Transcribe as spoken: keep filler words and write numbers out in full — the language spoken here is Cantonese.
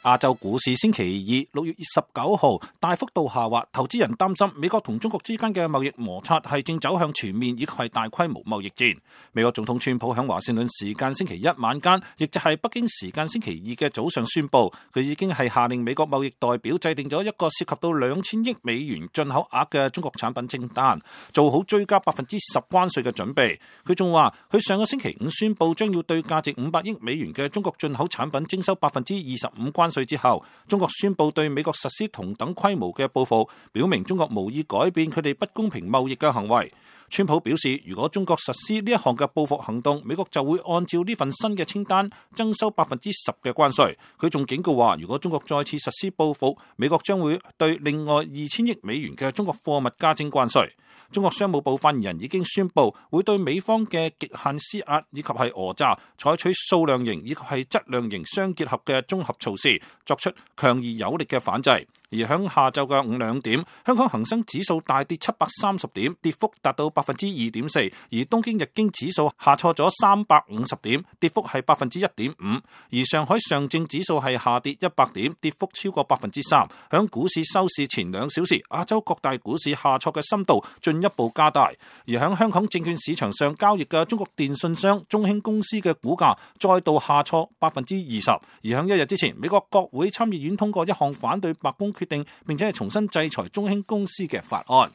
亞洲股市星期二六月十九號大幅度下滑，投資人擔心美國同中國之間嘅貿易摩擦係正走向全面以及係大規模貿易戰。美國總統川普喺華盛頓時間星期一晚間，亦就係北京時間星期二嘅早上宣布，佢已經係下令美國貿易代表制定咗一個涉及到兩千億美元進口額嘅中國產品清單，做好追加百分之十關稅嘅準備。佢仲話，佢上個星期五宣布將要對價值五百億美元嘅中國進口產品徵收百分之二十五關稅之後，中國宣布對美國實施同等規模嘅報復，表明中國無意改變佢哋不公平貿易嘅行為。川普表示，如果中國實施呢一項嘅報復行動，美國就會按照呢份新嘅清單徵收百分之十嘅關稅。佢仲警告話，如果中國再次實施報復，美國將會對另外二千億美元嘅中國貨物加徵關稅。中國商務部發言人已經宣布會對美方嘅極限施壓以及係訛詐採取數量型以及係質量型相結合嘅綜合措施，作出強而有力嘅反制。而響下晝嘅五兩點，香港恒生指數大跌七百三十點，跌幅達到百分之二點四；而東京日經指數下挫咗三百五十點，跌幅係百分之一點五；而上海上證指數係下跌一百點，跌幅超過百分之三。響股市收市前兩小時，亞洲各大股市下挫嘅深度進一步加大。而響香港證券市場上交易嘅中國電信商中興公司嘅股價再度下挫百分之二十。而響一日之前，美國國會參議院通過一項反對白宮決定並且係重新制裁中興公司嘅法案。